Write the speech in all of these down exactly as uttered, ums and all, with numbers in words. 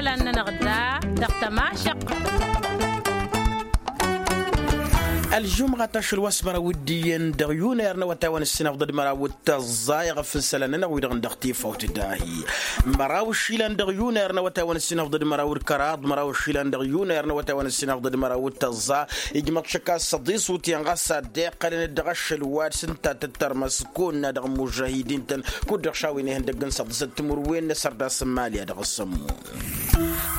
Isălan-nănăɣ da dăɣ-tămašăq. Ălžumɣa tašăl wa s-măraw d-iyyăn dăɣ-yunăyăr n-awătay wa n-ǝssin afḍăd măraw d-tăẓẓa iɣăf n-isălan-nănăɣ wi-dăɣ n-dăɣ tifawt dahi. Măraw išilan dăɣ-yunăyăr n-awătay wa n-ǝssin afḍăd măraw d-kăraḍ măraw išilan dăɣ-yunăyăr n-awătay wa n-ǝssin afḍăd măraw d-tăẓẓa. Ijmăḍ šăkka s-săḍis wutǝyăn ɣas ad-dd-iqqălăn dăɣ-ašăl wa d-sǝnta tǝttărmăs kunna dăɣ-mužahidin-tăn kud-dăɣ šawen ihăndăgg n-săḍisăt timǝrwen n-asărdas n-imali a dăɣ-sămmun.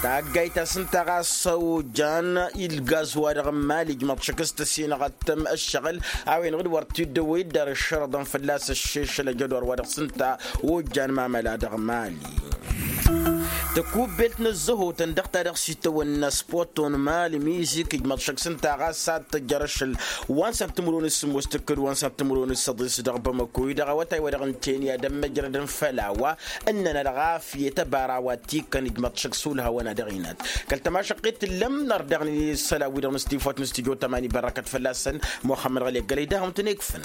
Taggayt ta s-ǝnta ɣas ojan ilgaz wa dăɣ-imali ijmăḍ šăkk s-tăsinăɣăt tăm ǝššăɣǝl a-wen ɣǝd wăr t-dd-ăwwăy dd-ar ǝššărăḍăn fălla-s ăššešăl ăjădor wa dăɣ-s ǝnta. Ojan mamăla dăɣ-imali tăkubbelt n-ăzzăhotăn dăɣ-ta-dăɣ s-itawănna s-poton mali mizik ijmăḍ šăkk s-ǝnta ɣas ad-tăjjăr ašăl wa n-săn timǝrwen s-sǝmmos tǝkkǝd wa n-săn timǝrwen s-săḍis dăɣ-bamăko-i dăɣ-awătay wa dăɣ-n tenya d-ămmăjrădăn făll-a-wa ǝnnăn ălɣafyăt ăbara wa t-ikkăn ijmăḍ šăkk s-ulhawăn a dăɣ-inat. Kăl-tămašăqqet tǝllăm nar daɣ n-isălan-wi-dăɣ n-stifoyt n-stujo tămani bărrăkăt fălla-săn muxămmăd ɣăli ăggălăy daɣ wǝntăn ikfăn.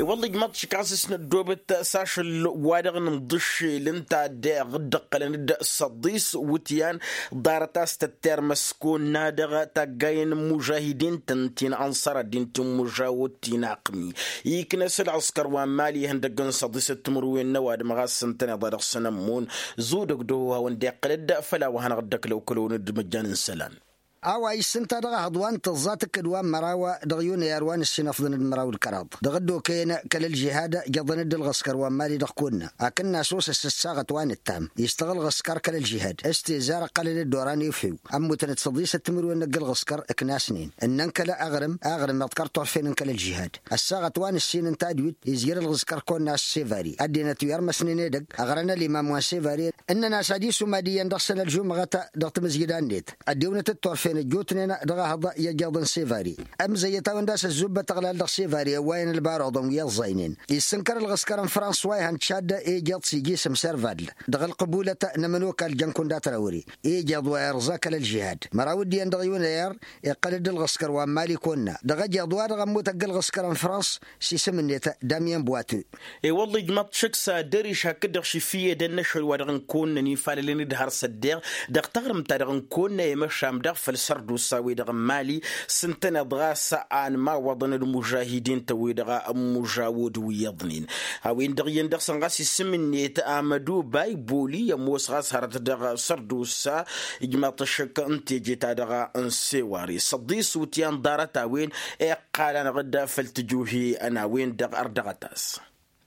I-wălla ijmăḍ šik ɣas s-năddoobăt s-ašăl wa dăɣ-nǝmḍǝššel ǝnta a dd-iqqălăn d-săḍis wǝtyan ḍarăt a-s tăttermăs kăwăn-dăɣ taggayen n-imužahidin-tăn ti n-anṣăr ăddin ti n-imužawăt ti n-aqmi. Iknăs ălɣǝskăr wa n-mali ihăndăgg n-săḍisăt timǝrwen n-ăwadǝm ɣas ǝntăneḍ a dăɣ-săn ămmun zudăg d-ohăwăn dd-iqqălăd făll-a-wa hanăɣ-dd-ăklăw kălăwăn d-măjjan n-isălan. A-wa issǝnta dăɣ-ehăḍ wa n-tǝẓẓa tǝkkǝd wa n-măraw dăɣ-yunăyar wa n-ǝssin afḍăn d-măraw d-kăraḍ dăɣ-dd-okăyăn kăl-ălžihad. Jăḍăn-dd ălɣǝskăr wa n-mali dăɣ-kunna akǝnna s-osăs ăssaɣăt wa n-ǝttam istăɣ ălɣǝskăr kăl-ălžihad s-tezar ǝqqălăn-dd oran efew. Ămmutăn-dd săḍisăt timǝrwen n-ăgg-ălɣǝskăr ǝknasnen ǝnnăn kăl-aɣrǝm aɣrǝm iḍkăr turfen n-kăl-ălžihad. Ăssaɣăt wa n-ǝssin ǝnta d-wit izjăr ălɣǝskăr kăwăn-nas sevari ăddinăt wi ărmăsnen edăgg ăɣrăn ălimam wa n-sevari ǝnnăn-as ad-isumad iyyăn dăɣ-săn ălžumɣăt dăɣ-tamǝzjǝda-net. Ăddewnăt d-turfen ăjjootnen dăɣ-ehăḍ i-ăjjeḍăn sevari. Ămzăyyăt a-wen d-a-s ăzzubbăt aɣlal dăɣ-sevari ăwwayăn ălbaruḍăn wi ăẓẓaynen issǝnkăr ălɣǝskăr n-frans wa ihăn tšadd ejeḍ s-ijisǝm servadl dăɣ-ălqǝbulăt n-ămănokal jăn-kundat răwre. Ejeḍ wa irẓa kăl-ălžihad măraw dd-iyyăn dăɣ-yunăyar iqqăl-dd ălɣǝskăr wa n-mali kăwăn-na dăɣ-ejeḍ wa dăɣ-ămmut ăgg-ălɣǝskăr n-frans s-isǝm-net damyen boiteux. I-wălla ijmăḍ šăkk s-ad-ăriš hakd-dăɣ šifǝyed ănnăšăl wa dăɣ-n kăwăn-năn ifalălăn d-har s-ăddeɣ dăɣ-taɣrǝmt-ta-dăɣ n-kăwăn-năn i-măšan dăɣ-făll-sărdusa-wi-dăɣ n-mali s-ǝntăneḍ ɣas a ănmawăḍăn d-imužahidin-tăn wi-dăɣ n-imužawăd wi iyyăḍnen. A-wen-dăɣ iyyăn dăɣ-săn ɣas isǝm-net amădubay boli ămoos ɣas hărăt dăɣ-sărdusa. Ijmăḍ šăkk n-teje-ta-dăɣ n-sewari săḍis wǝtyan ḍarăt a-wen iqqal-anăɣ-dd făll-tǝjuhi n-a-wen-dăɣ ărdăɣăt-as.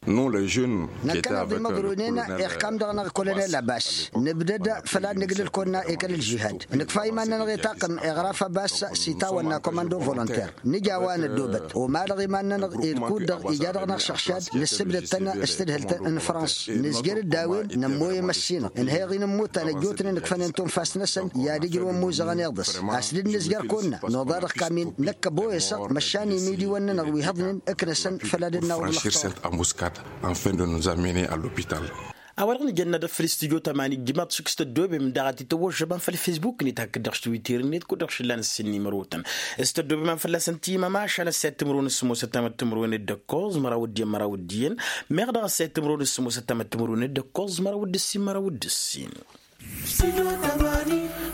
Năkkăneḍ imăḍrunen ixkam dăɣ-năɣ kolonel abbas nǝbdăd făll-ad-nǝglǝl kăwăn-na i-kăl-ălžihad nǝkfa iman-nănăɣ i-taqqǝm iɣraf abbas s-itawănna komando volonter. Nǝja wa năddobăt omalăɣ iman-nănăɣ ed kud-dăɣ ija dăɣ-năɣ šăɣšad nǝssǝbdăd-tăn s-tadhǝlt n-frans nǝzjăr-dd a-wen nămmoyăm ăssinăɣ ǝnhăyăɣ-in ǝmmutăn ăjjootnen ǝkfănen tunfast-năsăn i-ad-ǝjrǝwăn imuzăɣăn iḍǝs. A-s dd-nǝzjăr kăwăn-năɣ noḍa dăɣ-kamin năkk ăboyăsăɣ măšan imidiwăn-nănăɣ wi hăḍnen ǝknăsăn făll-ad-dd-nawăḍ lăxtăr. Ănfăndăn n-zamene ăllopital. A-wa-dăɣ nǝjănna dăɣ-făll-s tijot ămani ǝjjǝmaḍ šik s-tăddoobem daɣ ad-t-tăwwăžžăbăm făll-fesbuk-net hakd-dăɣ s-twitter-net kud-dăɣ šǝllan ǝssin n-imrotăn. S-tăddoobem a-n fălla-săn timămašal ăssayăt timǝrwen s-sămoosăt tamăttămărwen d-ǝkkoẓ măraw d-iyyăn măraw d-iyyăn. Meɣ dăɣ-ăssayăt timǝrwen s-sămoosăt tamăttămărwen d-ǝkkoẓ măraw d-ǝssin măraw d-ǝssin.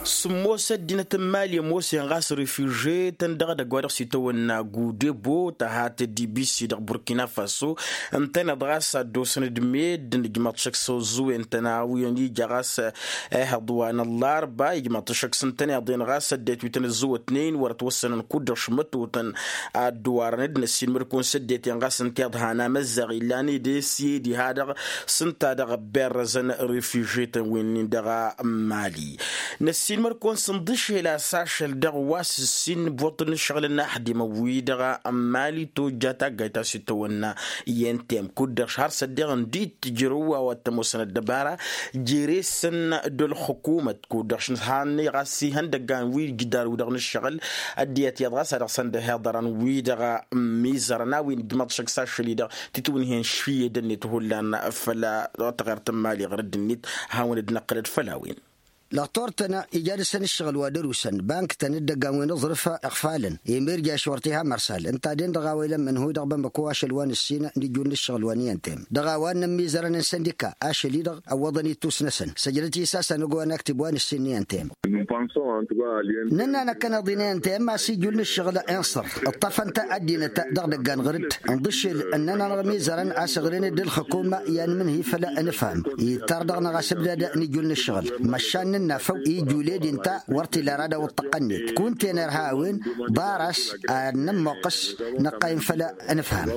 Sǝmmos ăddinăt n-mali ămoosăn ɣas refiže-tăn dăɣ-edăgg wa dăɣ-s itawănna gudebo tăhat d-ibisi dăɣ-burkina faso. Ǝntăneḍ ɣas ad-dd-osăn d-meddǝn ǝjmăḍ šăkk s-oẓẓuwen-tăn a-wen ija ɣas ehăḍ wa n-ăllarba ijmăḍ šăkk s-ǝntăneḍ-en ɣas ăddinăt wi tăn-ăzzăwătnen wăr-ătwăssănăn kud-dăɣ šmătotăn. Ad-dd-warăn d-năssiinmăd-kăwăn s-ăddinăt-en ɣas ǝnta iḍhan amăzzaɣ illan ed esye diha-dăɣ s-ǝnta-dăɣ ăbberrăzăn refiže-tăn wi-nin dăɣ-mali. Năssiinmăd-kăwăn s-inḍǝšel a-s ašăl dăɣ-wa s-ǝssin boṭ n-ǝššăɣǝl n-aḥdimăn-wi-dăɣ n-mali tojja taggayt ta s-itawănna i-entem kud-dăɣ har s-ăddiɣ ǝndi t-tǝjrăw a-wa t-ămoosăn ăddăbara. Jere-săn d-ălxukumăt kud-dăɣ šăn han-i ɣas ihăndăggan wi ǝjdar-wi-dăɣ n-ǝššăɣǝl ăddinăt iyyăḍ ɣas a dăɣ-săn dd-hiḍărăn wi-dăɣ. Ămmiẓărăn a-wen ǝjmăḍ šăkk s-ašăl-i-dăɣ titwǝnhen šǝyyădăn-net hullan făll-taɣert n-mali ɣărădd-net. Hawăn-dd-năqqǝlăd făll-a-wen. Lăɣtor-tăn ija dăɣ-săn ǝššăɣǝl wa dăr-usăn bank-tăn d-ăggan wi n-aẓrǝf iɣfalăn. Emirjaš wăr t-iha mărsal ǝnta a den-dăɣ a-wa ilămmăn hui dăɣ-bămmăko ašăl wa n-ǝssin n-ijul n-ǝššăɣǝl wa n-i-ăntăyăm dăɣ-a-wa ǝnnăn imizărăn n-săndika ašăl-i-dăɣ ăwwăḍăn ittus-năsăn. Săjdăt-i s-a-s a năgg-wa n-aktǝb wa n-ǝssin n-i-ăntăyăm. Nănna năkkăneḍ-i n-i-ăntăyăm a-s ijul n-ǝššăɣǝl inṣăr ǝṭṭăfăn-t ăddinăt dăɣ-idăggan ɣǝr-dd. Ǝnḍǝššel ǝnnăn-anăɣ imizărăn a-s ǝɣrǝn-dd ǝlxǝkum i-anmǝnhǝy făll-anǝfham ittar dăɣ-năɣ a-s ǝbdad n-ijul n-ǝššăɣǝl. Măšan n-ănnafăw ijul ed inta wăr t-ila ara d-awǝṭṭăqqăn-net kunta-en irha a-wen ḍar a-s ad-nămmoqqăs năqqayǝm făll-anǝfham.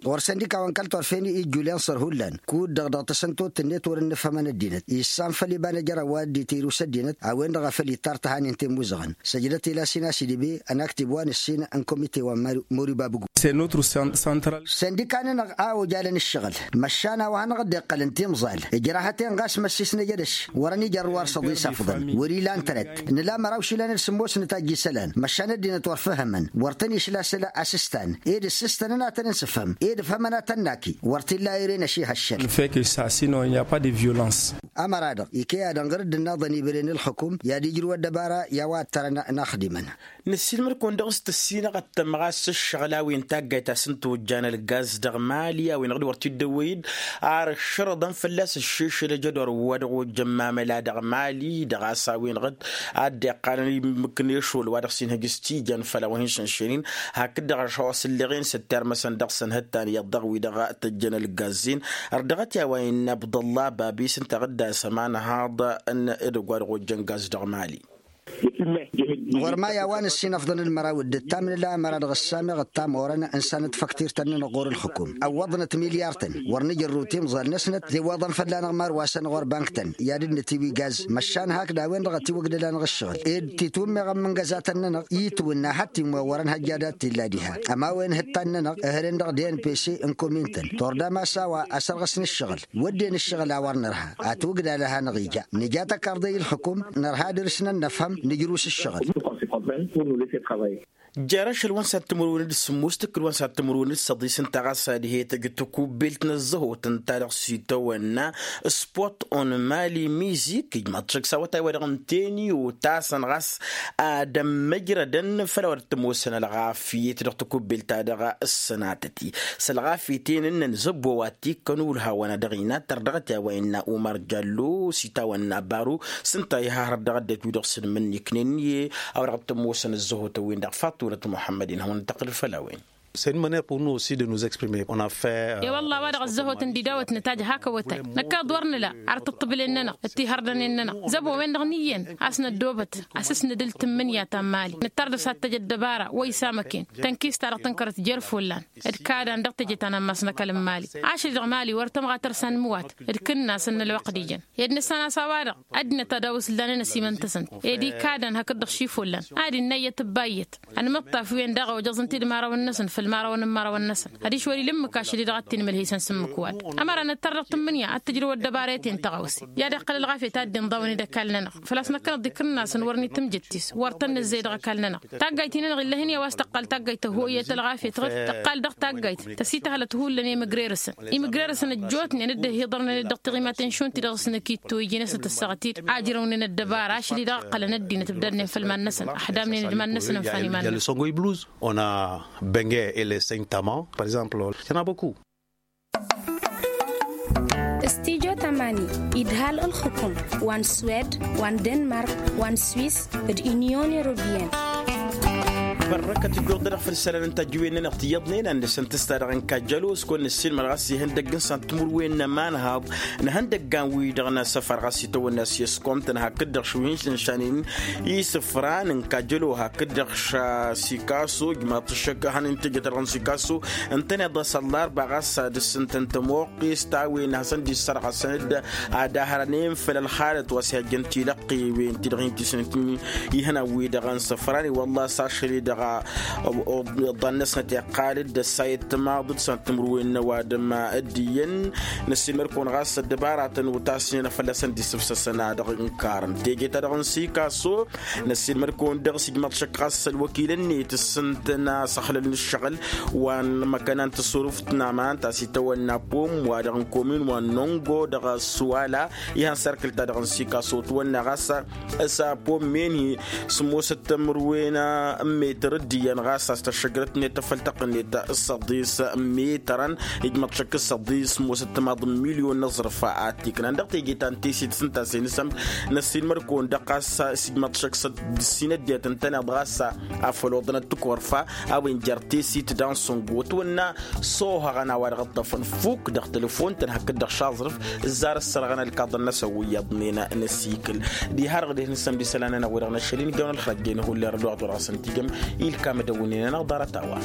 Ɣur-săndika wa n-kăl-turfen ijul inṣăr hullan kud-dăɣ dăɣ-tasăntot-net wăr-ǝnnǝfhămăn ăddinăt issan făll-iba n-ejăr a-wa dd-itirǝw s-ăddinăt a-wen-dăɣ a făl ittar tăhanin temuzăɣăn. Săjdăt-i lasina s-idǝbe ănaktǝb wa n-ǝssin n-komite wa n-mori babǝgu. Săndika-nănăɣ a ojalăn ǝššăɣǝl măšan a-wa hanăɣ-dd-iqqălăn timẓal ǝjrahăt-en ɣas măssis n-ejădăš wăr-ănijărrǝw ar săḍisafḍăn wăr-ilan tărăt. Nǝla măraw išilan d-sǝmmos n-tajj isălan măšan ăddinăt wăr făhhămăn wăr tăn-išla s-ăla asǝstan ed ǝssǝstăn-nănăɣ a tăn-ǝnsǝfhăm ed ǝfhămăn ad-tăn-naki wăr t-illa ere n-ašihăššăl. Ămăra-dăɣ ikăy-ad-ănɣăr-dd ǝnnaḍăn ibre n-ǝlxǝkum i-ad-ijrǝw ăddăbara i-a-wa ăttărăn inaxdimăn. Nǝssilmăd-kăwăn dăɣ-s tǝssinăɣăt tămɣas s-ǝššăɣǝl a-wen taggayt a-s n-tojjan ălgaz dăɣ-mali a-wen-dăɣ d-wăr t-dd-ăwwăy-dd ar ǝššărăḍăn fălla-s ǝššešăl ejădor wa dăɣ-ojăn mamăla dăɣ-mali dăɣ-a-s a-wen-dăɣ ad-dd-iqqalăn imǝknešol wa dăɣ-s inhǝj s-tijăn făll-a-wa hin-šănšănen. Hakd-dăɣ ăššăɣ-wa s-ǝlleɣen s-ăttar măsăn dăɣ-săn hǝttan iyyăḍ dăɣ-wi-dăɣ tăjjăn ălgaz-en. Ărdăɣăt i-a-wa innă abdăllah babis ǝnta a dd-asăm anhaḍ n-edăgg wa dăɣ-ojjăn gaz dăɣ-mali. Ɣur-maya wa n-ǝssin ăfḍăn d-măraw d-ǝttam nǝla ămăra dăɣ-ăssamăɣ ǝttam orăn ǝnsanăt făktir-tăn-nănăɣ ɣur-ǝlxǝkum ăwwăḍnăt milyar-tăn. Wăr nǝjărrǝw timẓal-năsnăt dd-iwwăḍăn fălla-năɣ mar wa săn ɣur-bank-tăn i-ad-dd-nǝtiwǝy gaz măšan hakd a-wen-dăɣ ătiwăgdăl-anăɣ ǝššăɣǝl ed titwǝmmeɣ ămmǝngăzatăn-nănăɣ itwǝnna hăttimwăn wărăn hăjja dat-t-illa diha. Ămawen hǝttan-nănăɣ ǝhrǝn dăɣ-dnpc n-komin-tăn tordam a-s a-wa ăsărɣǝsăn ǝššăɣǝl wădden ǝššăɣǝl a wăr nǝrha. Atwǝgdal a hanăɣ-ija nǝja tăkarḍe i-ǝlxǝkum nărha dăr-s nănnăfhăm nǝjrǝw s-ǝššăɣǝl. Jer-ašăl wa n-sat timǝrwen d-sǝmmos tǝkkǝl wa n-sat timǝrwen d-săḍis ǝnta ɣas ad-he-tăj takubbelt n-ăzzăhot ǝnta dăɣ-s itawănna spot on mali mizik ijmaḍ-t šăkk s-awătay wa dăɣ-ǝnten i-otasăn ɣas ad-ămmăjrădăn făll-a-wa dd-tămoosăn ălɣafyăt dăɣ-takubbelt-ta-dăɣ. Ǝssănatăt-i s-ălɣafyăt-en ǝnnăn zăbbo wa t-ikkăn ulha-wăn a dăɣ-inat tărdăɣăt i-a-wa innă umar jallo s-itawănna baro s-ǝnta iha hărăt dăɣ-ăddinăt wi-dăɣ s-ǝnmǝnniknen i-a-wa dăɣ-tămoosăn ăzzăhotăn-win-dăɣ faṭulăt muḥămmăd-in hawăn-tăqqǝl făll-a-wen. S-e n-măneḍ unnu s-dd-nu-s exprime. Wălla wa dăɣ-ăzzăhot n-dd-idawăt nǝtajj hak awătay năkk a dd-wăr nǝla ar tǝṭṭǝbǝlen-nănăɣ d-tihărdănen-nănăɣ zăbo-wen-dăɣ n-iyyăn a-s năddoobăt a-s s-nǝdǝl tǝmmǝnǝya ta n-mali nǝttar dăɣ-s ad-tăj ăddăbara wa isămăken tănkist-ta-dăɣ tǝnkărăt jer-follan d-kadăn dăɣ-teje ta n-ammas n-ăkall n-mali. Ašăl-i-dăɣ mali wăr tămɣa tărsa n-imǝwat d-kǝnnas n-ălwăqq d-ijăn ed nǝssan a-s a-wa-dăɣ ăddinăt ad-awǝs ǝllan-en ăsimăn-tăsăn ed ikadăn hakd-dăɣ šif ollan ad-innă iyyăt ǝbba iyyăt ănmǝṭṭaf-wen daɣ ojăẓ ǝnta d-imărawăn-năsăn făll-imărawăn n-imărawăn-năsăn ad-išwăl ilǝmmǝk ašăl-i-dăɣ ad-t-inmălhesăn s-ǝmmǝk wa-dăɣ. Ămăra nǝttăr dăɣ-tǝmmǝnǝya ad-tǝjrǝw ăddăbarăyăt-en tăɣawse i-ad-iqqăl ălɣafyăt ad-dd-inḍawăn-dd ăkall-nănăɣ făl-a-s năkkăneḍ d-ikǝnnasăn wăr n-itǝmjăt-tis wăr tăn-nǝzzey dăɣ-ăkall-nănăɣ. Taggayt-i-nănăɣ ill'-ahǝn i-a-wa s-tăqqal taggayt tăhoyyăt ălɣafyăt ɣǝd tăqqal dăɣ-taggayt tăsităhălăt hullan i-imǝgrerăsăn imǝgrerăsăn ăjjootnen d-dd-ăhiḍărnen-dd dăɣ-tiɣimaten šund-ti-dăɣ s-năkittoyjăn a-s nǝtăssaɣăt-dd ajrăwnen ăddăbara ašăl-i-dăɣ ǝqqălăn ăddinăt ǝbdadnen făll-iman-năsăn ăḥdamnen d-iman-năsăn ǝnfan iman-năsăn. Onăbenge ele săyǝn tama par exemple. Cănabăku. Studyo tamani idhal ǝlxǝkum wa n-swed wa n-denmark wa n-swis d-inyon europeyăn. Bărrăkăt ǝjjuḍ-dăɣ făll-isălan n-tajǝwen-nănăɣ tiyyăḍnen ad-nǝsǝntǝs-ta-dăɣ n-kajjălo s-kăwăn-nǝssilmăd ɣas ihăndăgg n-săn timǝrwen n-ămanhaḍ n-ihăndăggan-wi-dăɣ n-asăfar ɣas itawănna s-iskomtăn hakd-dăɣ šuhin-săn šanen isǝfran n-kajjălo hakd-dăɣ šasikaso ǝjmaḍ-t ǝššăk hăn-in-tejăt a-dăɣ n-sikaso ǝntăneḍ a-s ăllarba ɣas ad-ǝssǝntăn tămoqqest a-wen hasăn-dd-issărɣăsăn-dd ad-ahărănen făll-ălxalăt wa s-ihăjjăn tilăqqiwen-ti-dăɣ hin-tisǝnǝt ihănan-wi-dăɣ n-isǝfran i-wălla a-s ašăl-i-dăɣ. Iḍḍan-năsnăt iqqal-dd ăssayăt timaḍ d-săn timǝrwen n-ăwadǝm. D-iyyăn năssiilmăd-kăwăn ɣas ăddăbaratăn wa tasnen a fălla-săn d-isǝfsăsăn a dăɣ-inkarăn teje-ta-dăɣ n-sikaso. Năssiilmăd-kăwăn dăɣ-s ijmăḍ šăkk ɣas ălwăkilăn-net s-ǝntăn a-s ăxlălăn ǝššăɣǝl wa n-măkăna n-tǝsurǝft n-aman ta s-itawănna pom wa dăɣ-n komin wa n-nongo dăɣ-s wala. Ihăn s-erkǝl-ta-dăɣ n-sikaso tǝwănna ɣas s-a pom menhi sǝmmosăt timǝrwen n-metăr d-iyyăn ɣas a-s tăššăjrăt-net tăfăltăq-net s-ăḍis n-metărăn. Ijmăḍ šăkk s-ăḍis sǝmmosăt timaḍ n-milyon n-aẓrǝf a t-iknan dăɣ-teje ta n-teset s-ǝnta a-s inǝsăm. Năssiilmăd-kăwăn dăɣ-ɣas s-ijmăḍ šăkk s-ăddǝssin ăddinăt ǝntăneḍ ɣas afăl oḍănăt tikărfa a-wen jer-teset dansǝngo tǝwănna. S-ohăɣăn a-wa dăɣ-ǝṭṭăfăn fukk dăɣ-telefon tăn-hakd-dăɣ šaẓrǝf ǝzzar ǝssărɣăn ălkaḍăn-năsăn wi iyyăḍnen. N-asikǝl diha-dăɣ dehăn s-ămdisăl-anăn a-wen-dăɣ n-ašăl-in ijawăn ălxălăjjăyăn hullan dăɣ-tura asăn-t-ijăm. Ilkam ădăwwǝnnen-anăɣ ḍarăt-a-wa.